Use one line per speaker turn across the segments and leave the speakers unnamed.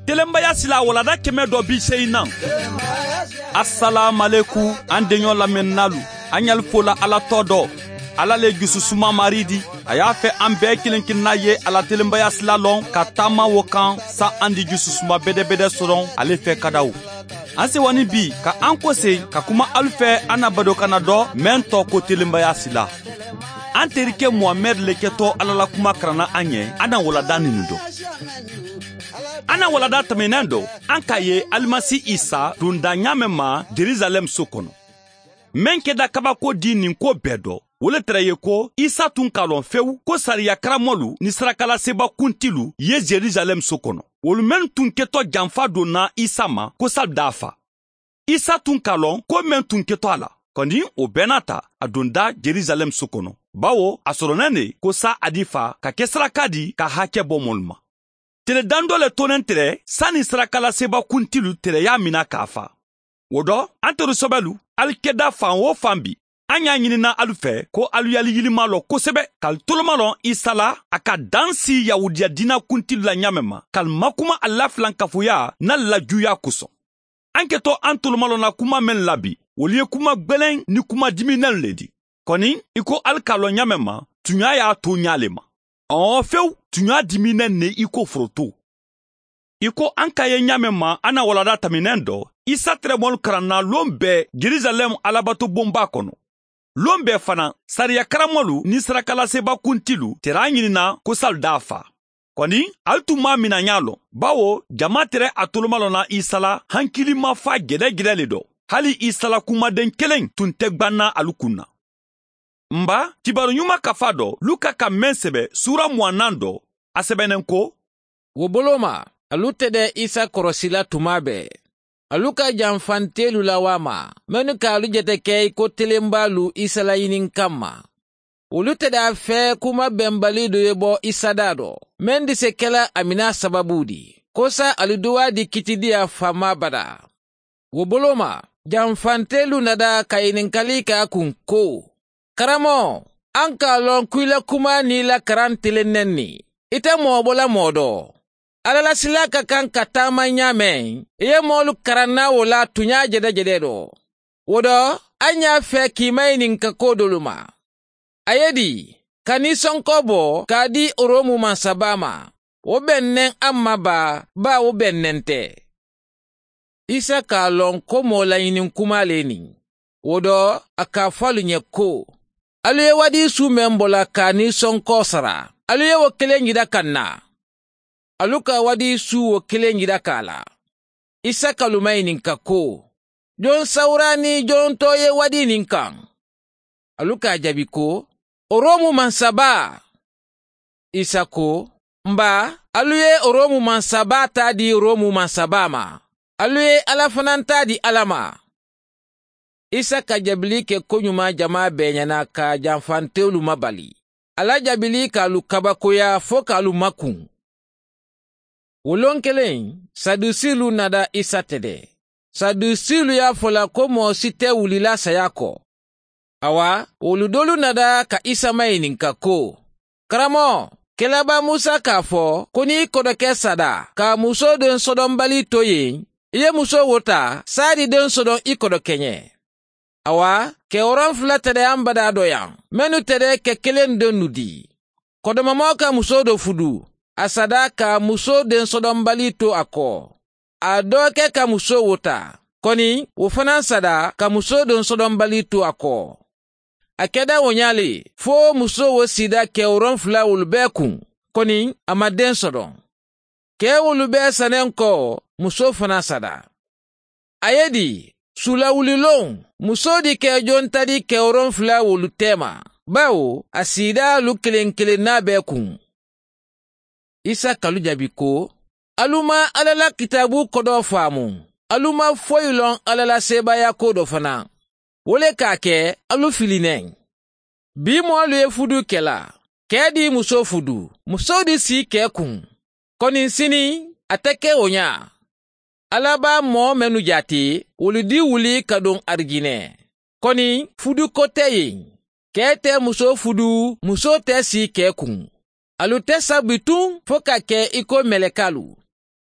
Telenbaya sila walada 180. Assalamualaikum an denɲɔ lamɛnnalu an y'al fola Ala tɔ dɔ. Ala le jususuma maridi a y'a fɛ an bɛɛ kelen kelenna ye Ala telenbaya sila lɔn ka taama wo kan sa an di jususuma bɛdɛbɛdɛ sɔrɔ ale fɛ kadaw. An sewani bi ka an kose ka kuma alu fɛ an na badokana dɔ mɛn tɔ ko telenbaya sila. An terikɛ Muhamɛd le kɛtɔ Ala la kuma karanna an ɲɛ an na walada ninu dɔ. An na walada tɛmɛnen dɔ an k'a ye Alimasi Isa donda ɲa mɛn ma Jerusalɛm so kɔnɔ. Mɛn kɛda kabako di nin ko bɛɛ dɔ. O le tɛrɛ ye ko Isa tun k'a lɔn fewu ko sariya karamɔlu ni sarakalaseba kuntilu ye Jerusalɛm so kɔnɔ. Olu mɛn tun kɛtɔ janfa donna Isa ma ko sal d'a fa. Isa tun k'a lɔn ko mɛn tun kɛtɔ a la. Kɔni o bɛɛ n'a ta a donda Jerusalɛm so kɔnɔ. Bawo a sɔrɔnɛ ne ko sa a di fa ka kɛ saraka di ka hakɛ bɔ mɔlu ma. Tele dan dɔ le tonen tɛrɛ sanni sarakalaseba kuntilu tɛrɛ y'a mina k'a fa. O dɔ an teri sɔbɛlu alikɛda fan o fan bi an y'a ɲinina alu fɛ ko alu yali yilima lɔ kosɛbɛ k'al toloma lɔ Isa la a ka dan si Yahudiya diina kuntilu la ɲa mɛn ma k'al makuma a la filankafoya n'a lajuya kosɔn. An kɛtɔ an toloma lɔ na kuma mɛn la bi olu ye kuma gwɛlɛn ni kuma diminɛn le di. Kɔni i ko alu k'a lɔn ɲa mɛn ma tunya y'a to ɲa le ma. Ɔɔ fewu tunya diminɛn ne i ko foroto. I ko an ka ye ɲa mɛn ma an na walada tɛmɛnɛn dɔ Isa tɛrɛmɔlu karanna lon bɛɛ Jerusalɛm alabato bonba kɔnɔ. Lon bɛɛ fana sariya karamɔlu ni sarakalaseba kuntilu tɛrɛ a ɲinina ko sal d'a fa. Kɔni ali tun m'a mina ɲa lɔn bawo jama tɛrɛ a toloma lɔnna Isa la hankilima fa gɛrɛgɛrɛ le dɔ. Hali Isa la kumaden kelen tun tɛ gbanna alu kun na. Nba kibaru ɲuman kafa dɔ Luka ka mɛn sɛbɛ sura 24 dɔ a sɛbɛnnen ko
wo bolo ma alu tɛ dɛ Isa kɔrɔsila tuma bɛɛ. Alu ka janfantelu la wa ma mɛnu k'alu jate kɛ i ko telenbalu Isa la ɲini kama. Olu tɛ d'a fɛ kuma bɛnbali dɔ ye bɔ Isa da dɔ mɛn di se kɛla a mina sababu di kosa alu duwa di kitidiya fama bada. Wo bolo ma janfantelu nada ka ɲininkali k'a kun ko karamɔ an k'a lɔn ko i la kuma n'i la karan telennen ni i tɛ mɔgɔ bɔla mɔgɔ dɔ. Ala la sila ka kan ka taama ɲa mɛn i ye mɔɔlu karanna o la tunya jɛdɛjɛdɛ dɔ. O dɔ an y'a fɛ k'i ma ɲininka ko dolu ma. A ye di ka nisɔnkɔ bɔ k'a di Oromu masaba ma o bɛnnen an ma ba ba o bɛnnen tɛ. Isa k'a lɔn ko mɔɔ laɲini kuma le nin. O dɔ a k'a fɔ alu ɲɛ ko alu ye wadi su mɛn bɔla k'a nisɔnkɔ sara alu ye o kelen yira ka na. Alu ka wadi su o kelen yira k'a la. Isa kaluma ɲininka ko jon sawura ni jon tɔ ye wadi nin kan. Alu k'a jaabi ko Oromu mansaba. Isa ko nba alu ye Oromu mansaba ta di Oromu mansaba ma. Alu ye Ala fana ta di Ala ma. Isa ka jaabili kɛ koɲuman jama bɛɛ ɲɛna ka janfantelu mabali. Ala jaabili k'alu kabakoya fo k'alu makun. Wolon kelen Sadusilu nada Isa tɛdɛ. Sadusilu y'a fɔla ko mɔgɔ si tɛ wulila saya kɔ. Awa olu dolu nada ka Isa maɲininka ko karamɔ kɛlɛba Musa k'a fɔ ko n'i kɔrɔkɛ sada ka muso den sɔdɔnbali to yen i ye muso wo ta sari den sɔdɔn i kɔrɔkɛ ɲɛ. Awa kɛwɔrɔn fila tɛdɛ an bada dɔ yan mɛnu tɛdɛ kɛ kelen den nu di. Kɔdɔmamaw ka muso dɔ fudu a sada ka muso den sɔdɔnbali to a kɔ. A dɔgɔkɛ ka muso wo ta kɔni o fana sada ka muso den sɔdɔnbali to a kɔ. A kɛda o ɲale fo muso wo sida kɛwɔrɔn fila olu bɛɛ kun kɔni a ma den sɔdɔn. Kɛ olu bɛɛ sannen kɔ muso fana sada. A ye di sulawulilon muso di kɛ jon ta di kɛwɔrɔn fila olu tɛma bawo a sida alu kelen kelenna bɛɛ kun. Isa kalu jaabi ko alu ma Ala la kitabu kɔdɔ faamu alu ma foyi lɔn Ala la sebaaya ko dɔ fana. O le k'a kɛ alu filinɛ. Bi mɔɔlu ye fudu kɛla kɛ di muso fudu muso di si kɛ kun. Kɔni sini a tɛ kɛ o ɲa. Ala b'a mɔɔ mɛnu jate olu di wuli ka don arijinɛ. Kɔni fudu ko tɛ yen. Kɛ tɛ muso fudu muso tɛ si kɛ kun. Alu tɛ sa bitun fo ka kɛ i ko mɛlɛkalu.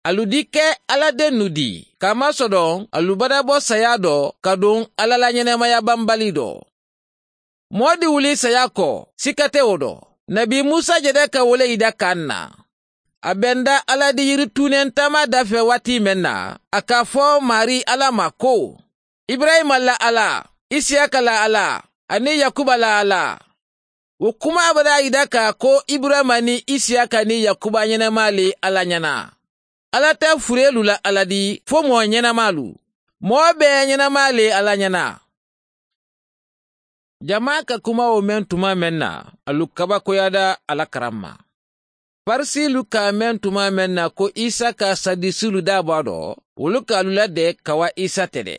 Alu di kɛ Ala dennu di, k'a masɔrɔ alu bada bɔ saya dɔ ka don Ala la ɲɛnamaya banbali dɔ. Mɔɔ di wuli saya kɔ, sika tɛ o dɔ. Nabi Musa jɛdɛ ka wele i da kan na. A bɛnda Ala di yiri tunen taama dafɛ waati mɛn na, a k'a fɔ Mari Ala ma ko, Ibrahima la Ala, Isiyaka la Ala, ani Yakuba la Ala. O kuma bada i da ka ko Ibrahima ni Isiyaka ni Yakuba ɲɛnama le Ala ɲɛna. Ala tɛ furelu la Ala di fo mɔɔ ɲɛnamalu. Mɔɔ bɛɛ ɲɛnama le Ala ɲɛna. Jama ka kuma o mɛn tuma mɛn na, alu kabakoyada Ala karan ma. Farisilu k'a mɛn tuma mɛn na ko Isa ka sadisilu da bɔ a dɔ, olu k'alu ladɛ ka wa Isa tɛ dɛ.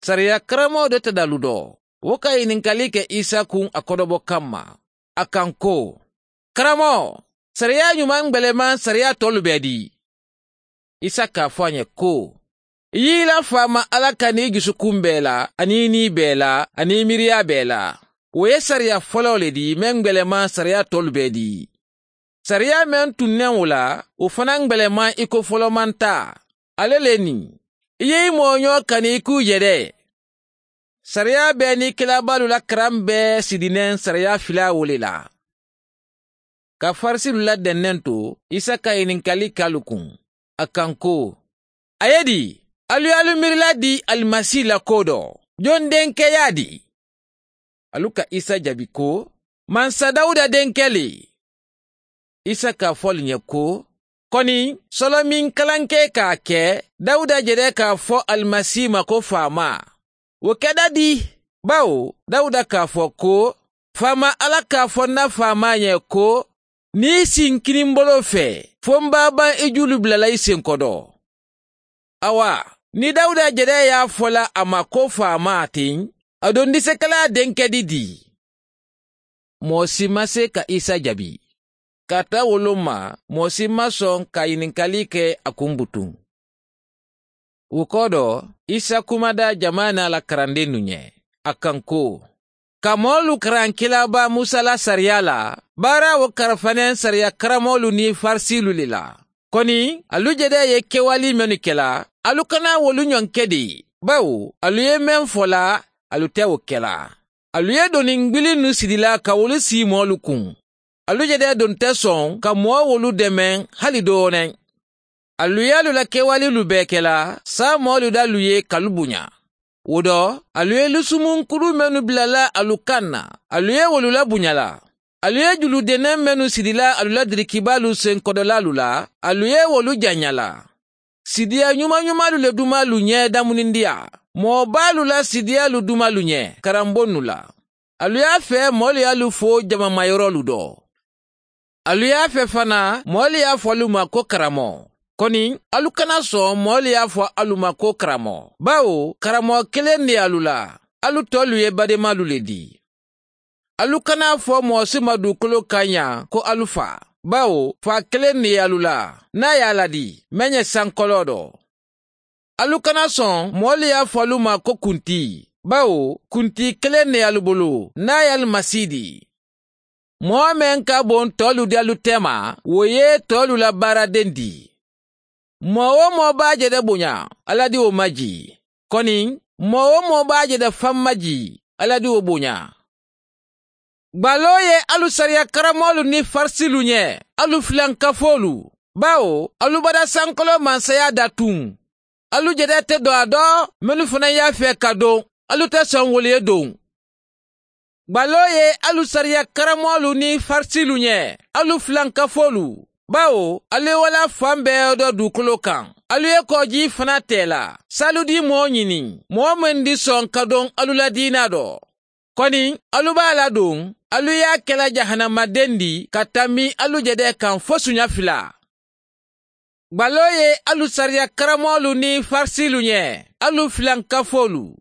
Sariya karamɔgɔ de tɛ dalu dɔ. O ka ɲininkali kɛ Isa kun a kɔdɔbɔ kanma. A kan ko, karamɔgɔ, sariya ɲuman gbɛlɛman sariya tɔlu bɛɛ di. Isa k'a fɔ a ɲɛ ko, i y'i la faama Ala ka n'i dusukun bɛɛ la, ani ni bɛɛ la, ani miiriya bɛɛ la. O ye sariya fɔlɔ le di mɛn gbɛlɛman sariya tɔlu bɛɛ di. Sariya mɛn tunnen o la, o fana gbɛlɛman i ko fɔlɔman ta. Ale le nin. I ye i mɔɲɔ kani i k'u yɛrɛ. Sariya bɛɛ ni kilabalu la karan bɛɛ sidinen sariya fila wo le la. Ka farisilu la dɛnnɛn to, Isa ka ɲininkali k'alu kun. A kan ko, a ye di, alu y'alu miirila di Alimasi la ko dɔ, jɔn denkɛ y'a di? Alu ka Isa jaabi ko, Mansa Dawuda denkɛ le. Isa k'a fɔ ɲɛ ko, kɔni sɔlɔ min kalankɛ k'a kɛ, Dawuda jɛrɛ k'a fɔ Alimasi ma ko faama. O kɛda di, bawo Dawuda k'a fɔ ko, faama Ala k'a fɔ n na faama ɲɛ ko, n'i sin kininbolo fɛ, fo n b'a ban i julu bilala i senkɔrɔ. Awa, ni Dawuda jɛrɛ y'a fɔla a ma ko faama ten, a don disekala denkɛ di di. Mɔɔ si ma se ka Isa jaabi. Ka taa wolo ma, mɔɔ si ma sɔn ka ɲininkali kɛ a kun butun. O kɔ dɔ, Isa kumada jama n'a la karanden nu ɲɛ. A kan ko, ka mɔɔlu karan kilaba Musa la sariya la, baara o karafanɛn sariya karamɔgɔlu ni farisilu le la. Kɔni, alu jɛdɛ ye kɛwali mɛnnu kɛla, alu kana wolu ɲɔn kɛ de, bawo alu ye mɛn fɔla, alu tɛ o kɛla. Alu ye doni ngbili nu sidila ka wolu si mɔɔlu kun. Alu jɛdɛ don tɛ sɔn ka mɔɔ wolu dɛmɛ hali dɔɔnin. Alu y'alu la kɛwalelu bɛɛ kɛla, sa mɔɔlu d'alu ye k'alu bonya. O dɔ, alu ye lusumunkuru mɛnnu bilala alu kan na, alu ye wolu la bonya la. Alu ye juludennɛ mɛnnu sidila alu la dirikibalu senkɔdɔlalu la, alu ye wolu janya la. Sidiya ɲuman ɲumanlu le dumalu ɲɛ damunindiya. Mɔɔbalu la sidiyalu dumalu ɲɛ karanbonnu la. Alu y'a fɛ mɔɔlu y'alu fo jamamayɔrɔlu dɔ. Alu y'a fɛ fana mɔɔlu y'a fɔ alu ma ko karamɔgɔ. Kɔni, alu kana sɔn mɔɔlu y'a fɔ alu ma ko karamɔgɔ. Bawo, karamɔgɔ kelen de alu la, alu tɔlu ye badenmalu le di. Alu kana fɔ mɔgɔ si ma dugukolo kan yan ko alu fa. Bawo, fa kelen de alu la, n'a y'a ladi, mɛn ɲɛ sankɔlɔ dɔ. Alu kana sɔn mɔɔlu y'a fɔ alu ma ko kunti. Bawo, kunti kelen de alu bolo, n'a y'alu masi di. Mɔgɔ mɛn ka bon tɔlu di alu tɛma, o ye tɔlu la baaraden di. Mɔgɔ o mɔgɔ b'a jɛdɛ bonya, Ala di o maji. Kɔni, mɔgɔ o mɔgɔ b'a jɛdɛ fan maji, Ala di o bonya. Gbalo ye alu sariya karamɔgɔlu ni farisilu ɲɛ, alu filankafolu. Bawo, alu bada sankolo mansaya datun. Alu jɛdɛ tɛ don a dɔ, minnu fana y'a fɛ ka don, alu tɛ sɔn wolu ye don. Gbalo ye alu sariya karamɔgɔlu ni farisilu ɲɛ, alu filankafolu. Bawo, alu ye wala fan bɛɛ dɔ dugukolo kan. Alu ye kɔji fana tɛ la. Salu di mɔɔ ɲini, mɔɔ min di sɔn ka don alu la diina dɔ. Kɔni, alu b'a ladon, alu y'a kɛla jahanamaden di ka tami alu jɛdɛ kan fo suɲa fila. Gbalo ye alu sariya karamɔgɔlu ni farisilu ɲɛ, alu filankafolu.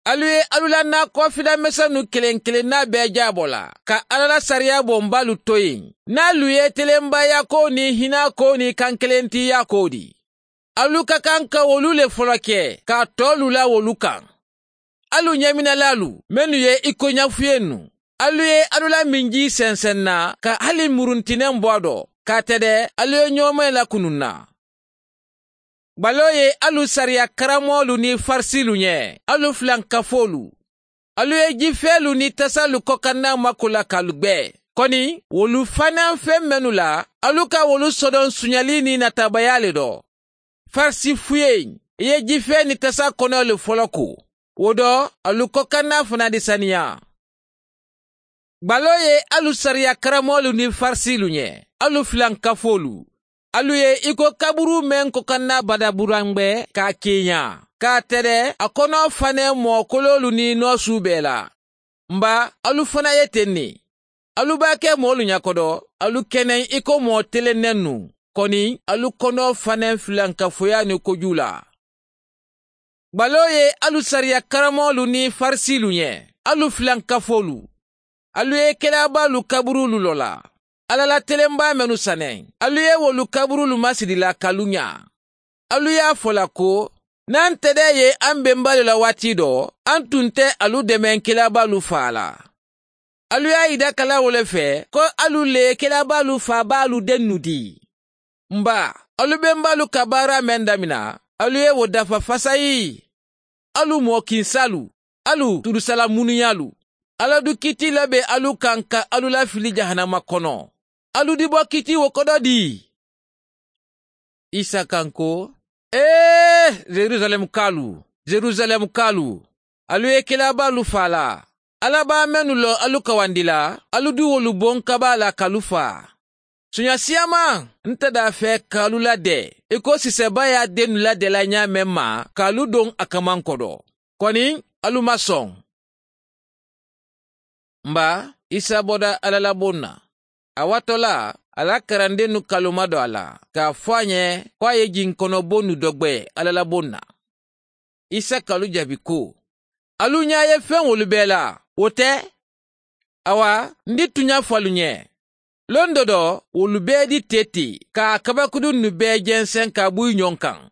Alu ye alu la nakɔfila misɛnnu kelen kelenna bɛɛ jabɔ la, ka Ala la sariya bɔnbalu to yen. N'alu ye telenbaya ko ni hinɛ ko ni kankelentiya ko di. Alu ka kan ka wolu le fɔlɔ kɛ, k'a tɔlu la wolu kan. Alu ɲɛminɛlalu, minnu ye i ko ɲafuye nu. Alu ye alu la minji sɛnsɛn na, ka hali muruntinɛn bɔ a dɔ, k'a tɛ dɛ, alu ye ɲɔgɔnmɛ lakunun na. Gbalo ye alu sariya karamɔgɔlu ni farisilu ɲɛ, alu filankafolu. Alu ye jifɛnlu ni tasalu kɔkanna mako la k'alu gbɛ. Kɔni, wolu fana fɛn mɛnnu la, alu ka wolu sɔdɔn suɲali ni natabaya le dɔ. Farisi fuye, i ye jifɛn ni tasa kɔnɔ le fɔlɔ ko. O dɔ, alu kɔkanna fana di saniya. Gbalo ye alu sariya karamɔgɔlu ni farisilu ɲɛ, alu filankafolu. Alu ye i ko kaburu mɛn kɔkanna badaburangbɛ k'a kenya, k'a tɛrɛ a kɔnɔ fanɛ mɔgɔkololu ni nɔsu bɛɛ la. Nba alu fana ye ten ne. Alu b'a kɛ mɔɔlu ɲakɔdɔ, alu kɛnɛ i ko mɔɔ telennɛn nu. Kɔni, alu kɔnɔ fanɛ filankafoya ni koju la. Gbalo ye alu sariya karamɔgɔlu ni farisilu ɲɛ, alu filankafolu. Alu ye kɛlabalu kaburulu lɔ la. Ala la telenba mɛnu sanɛ, alu ye wolu kaburulu masirila k'alu ɲa. Alu y'a fɔla ko, n'an tɛdɛ ye an benbalu la waati dɔ, an tun tɛ alu dɛmɛ kɛlabalu fa la. Alu y'a yida kala wole fɛ ko alu le kɛlabalu fa b'alu dennu di. Nba, alu benbalu ka baara mɛn damina, alu ye wo dafa fasayi. Alu mɔkinsalu, alu turusala munuyalu. Ala du kiti labe alu kan ka alu lafili jahanama kɔnɔ. Alu di bɔ kiti wo kɔdɔ di. Isa kan ko, ee, Jerusalem kalu, Jerusalem kalu, alu ye kelabalu fa la. Ala b'a mɛnnu lɔ alu kawandi la, alu di wolu bon kaba la k'alu fa. Sonya siyama, n tɛ d'a fɛ k'alu ladɛ, i ko sisɛba y'a dennu ladɛla ɲa mɛn ma, k'alu don a kaman kɔdɔ. Kɔni, alu ma sɔn. Nba, Isa bɔda Ala la bon na. A watɔ la, a la karandennu kaloma dɔ a la, k'a fɔ a ɲɛ ko a ye jinkɔnɔbonnu dɔ gwɛ Ala la bon na. Isa kalu jaabi ko, alu ɲa ye fɛn wolu bɛɛ la, o tɛ? Awa, n di tuɲa fɔ alu ɲɛ. Lon dɔ dɔ, wolu bɛɛ di tete, k'a kabakudunnu bɛɛ jɛnsɛn ka bɔ i ɲɔgɔn kan.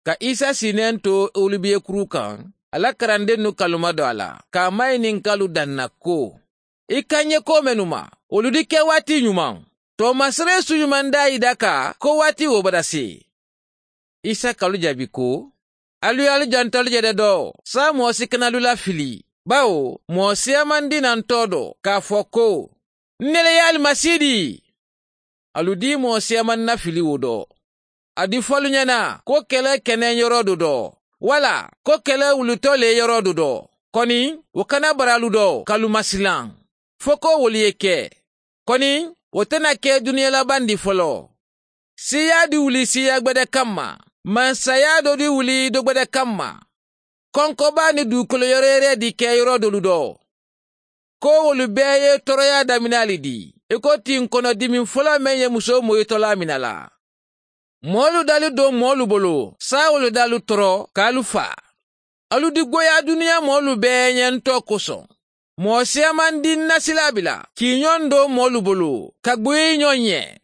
Ka Isa sinnen to olivier kuru kan, a la karandennu kaloma dɔ a la, k'a maɲininkalu danna ko, i ka ɲɛ ko mɛnnu ma, olu di kɛ waati ɲuman. Tɔmasere su ɲuman da yi da ka ko waati wo bada se. Isa kalu jaabi ko, alu y'alu jantalu jɛdɛ dɔ, sa mɔɔ si kana alu lafili, bawo mɔɔ siyaman di na n tɔ dɔ k'a fɔ ko, n ne le ye alimasi di. Alu di mɔɔ siyaman nafili wo dɔ. A di fɔlu ɲɛna ko kɛlɛ kɛnɛ yɔrɔ do dɔ, wala ko kɛlɛ wulutɔ le yɔrɔ do dɔ. Kɔni, o kana bara alu dɔ k'alu masilan. Fo ko wolu ye kɛ. Kɔni, o tɛna kɛ duniya laban di fɔlɔ. Siya di wuli siya gbɛdɛ kama, mansaya dɔ di wuli dɔ gbɛdɛ kama. Kɔnkɔba ni dugukolo yɛrɛ yɛrɛ di kɛ yɔrɔ dolu dɔ. Ko wolu bɛɛ ye tɔɔrɔya daminɛ le di, i ko tin kɔnɔdimi fɔlɔ mɛn ye muso moyitɔla minɛ la. Mɔɔlu dali don mɔɔlu bolo, sa wolu dalu tɔɔrɔ k'alu fa. Alu di goya duniya mɔɔlu bɛɛ ɲɛ ntɔ kosɔn. Mɔɔ siyaman di nasila bila, k'i ɲɔgɔn don mɔɔlu bolo, ka gboyi ɲɔgɔn ɲɛ.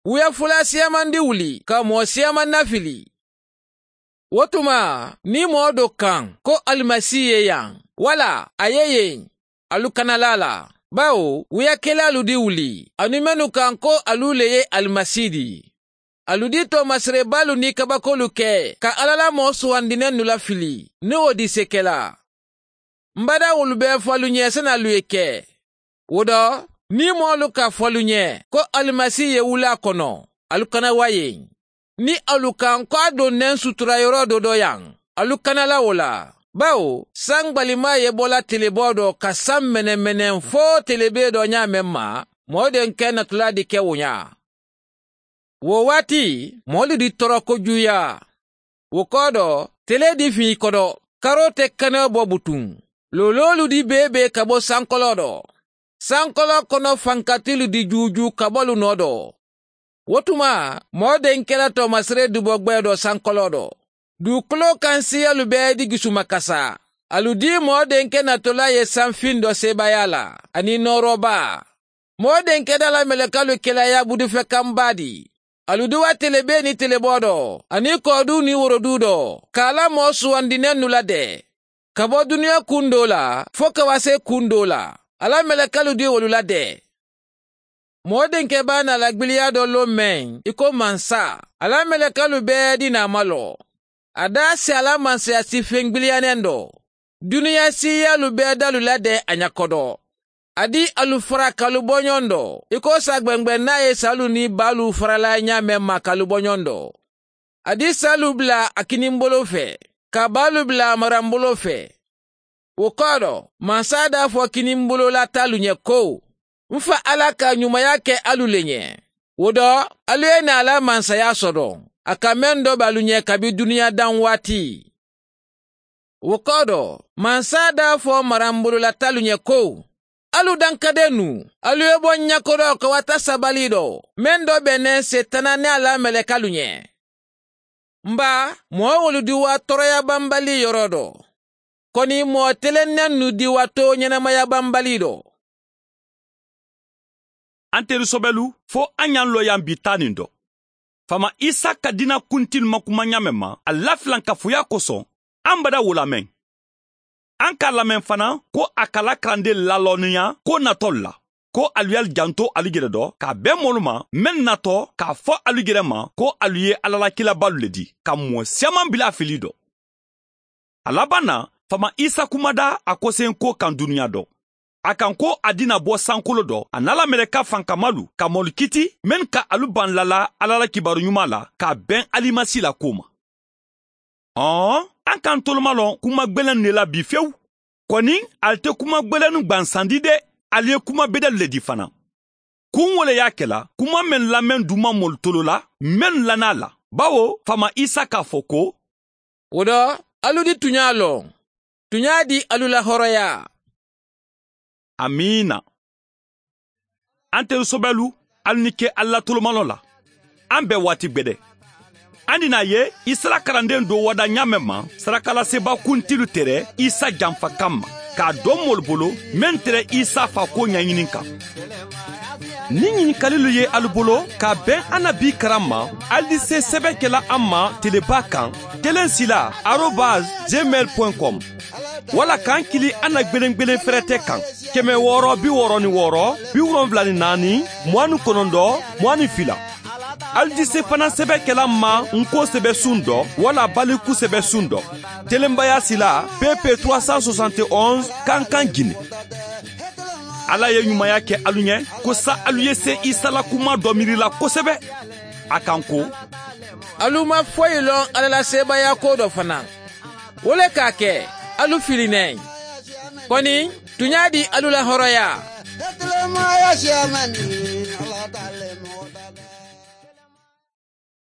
Wuya fula siyaman di wuli, ka mɔɔ siyaman nafili. O tuma, ni mɔɔ dɔ kan ko alimasi ye yan, wala a ye yen, alu kana la la. Bawo, wuyakɛlalu di wuli, ani mɛnnu kan ko alu le ye alimasi di. Alu di tɔɔmaserebalu ni kabakolu kɛ, ka Ala la mɔɔ sugandinɛnnu lafili, ni o di se kɛla. N bada wolu bɛɛ fɔ alu ɲɛ sani alu ye kɛ. O dɔ, ni mɔɔlu ka fɔ alu ɲɛ ko alimasi ye wula kɔnɔ, alu kana wa yen. Ni alu kan ko a donnen sutura yɔrɔ dɔ dɔ yan, alu kana la o la. Bawo, san gbalima ye bɔla telebɔ dɔ ka san mɛnɛmɛnɛ fo telebe dɔ ɲa mɛn ma, mɔɔ denkɛ natɔla di kɛ o ɲa. Wo waati, mɔɔlu di tɔɔrɔ kojuya. Wo kɔ dɔ, tele di fin i kɔdɔ, karo tɛ kɛnɛ bɔ butun. Lololu di bebe ka bɔ sankɔlɔ dɔ. Sankɔlɔ kɔnɔ fankatilu di juju ka bɔlu nɔ dɔ. O tuma, mɔɔ denkɛla tɔɔmasere dubɔ gbɛ dɔ sankɔlɔ dɔ. Dugukolo kan siyalu bɛɛ di gisumakasa. Alu di mɔɔ denkɛ natɔla ye sanfin dɔ sebaaya la, ani nɔɔrɔba. Mɔɔ denkɛ da la mɛlɛkalu kɛlɛya budufɛ kanba di. Alu di wa telebe ni telebɔ dɔ, ani kɔdu ni worodu dɔ, k'a la mɔɔ sugandinɛnnu ladɛ. Ka bɔ duniya kun dɔ la, fo ka wa se kun dɔ la. Ala mɛlɛkalu di wolu ladɛ. Mɔɔ denkɛ b'a na lagbiliya dɔ lon mɛn i ko mansa, ala mɛlɛkɛlu bɛɛ di n'a malɔ. A da se ala mansaya si fɛn dɔ. Duniya siyalu bɛɛ dalu ladɛn a ɲakɔdɔ. A di alu fara kalu bɔɲɔgɔn dɔ. I ko sa gbɛngbɛn n'a ye salu ni balu farala ɲa mɛn ma kalu bɔɲɔgɔn dɔ. A di salu bila a kinibolo fɛ, ka balu bila a maranbolo fɛ. O kɔrɔ, mansa d'a fɔ kinibolola talu ɲɛ ko, n fa Ala ka ɲumanya kɛ alu le ɲɛ. O dɔ, alu ye na ala mansaya sɔrɔ. A ka mɛn dɔ b'alu ɲɛ kabi duniya dan waati. O kɔrɔ, mansa d'a fɔ maranbolola talu ɲɛ ko, alu dankaden nu, alu ye bɔ ɲakɔrɔ ka wata sabali dɔ, mɛn dɔ bɛnnen setana ni ala mɛlɛkalu ɲɛ. Nba, mɔɔ wolu di wa tɔɔrɔya banbali yɔrɔ dɔ. Kɔni mɔɔ telennen nu di wa to ɲɛnamaya banbali dɔ.
An teri sɔbɛlu fo an y'an lɔ yan bi ta nin dɔ. Fama Isa ka dina kuntili ma kuma ɲamɛ ma, a lafilan kafoya kosɔn, an bada wo lamɛn. An k'a lamɛn fana ko a kala karanden lalɔnniya ko natɔ la, ko alu y'ali janto alu yɛrɛ dɔ k'a bɛn mɔlu ma mɛn natɔ k'a fɔ alu yɛrɛ ma ko alu ye alalakilabalu le di, ka mɔɔ siaman bila a fili dɔ. A laban na, Fama Isa kumada a kosen ko kan duniya dɔ. A kan ko a dina bɔ sankolo dɔ, a n'ala mɛlɛka fankamalu ka mɔlu kiti men ka alu ban lala ala la kibaru ɲuman la k'a bɛn alimasi la ko ma. An k'an toloma lɔn kuma gwɛlɛn de la bi fewu. Kɔni ali tɛ kuma gwɛlɛnnu gwansandi dɛ, ali ye kuma bedɛlu le di fana. Kun wo le y'a kɛla kuma mɛn lamɛn duman mɔlu tolo la, mɛn lana la. Bawo Fama Isa k'a fɔ ko,
o dɔ, alu di tuɲa lɔn. Tuɲa di alu la hɔrɔnya.
Amiina. An teri sɔbɛlu, alu ni ke ala tolomalɔ la. An bɛɛ waati gwɛdɛ. An dina ye Isa karanden do wada ɲamɛ ma, sarakalaseba kuntilu tɛrɛ Isa janfa kan ma, k'a dɔn mɔlu bolo mɛn tɛrɛ Isa fa ko ɲɛɲini kan. Ni ɲininkalilu ye alu bolo k'a bɛn an na bi karan ma, alu di se sɛbɛn kɛla an ma teleba kan telensila@gmail.com wala k'an kili an na gwelen fɛrɛtɛ kan 666 74 29 22. Alu di se fana sɛbɛn kɛla ma nko sɛbɛ sun dɔ wala baliku sɛbɛ sun dɔ. Telenbaya sila PP 371 Kankan Guinée. Ala ye ɲumanya kɛ alu ɲɛ ko sa alu ye se Isa la kuma dɔ miiri la kosɛbɛ. A kan ko,
alu ma foyi lɔn ala la sebaaya ko dɔ fana. O le k'a kɛ alu filinɛ. Kɔni tuɲa di alu la hɔrɔnya.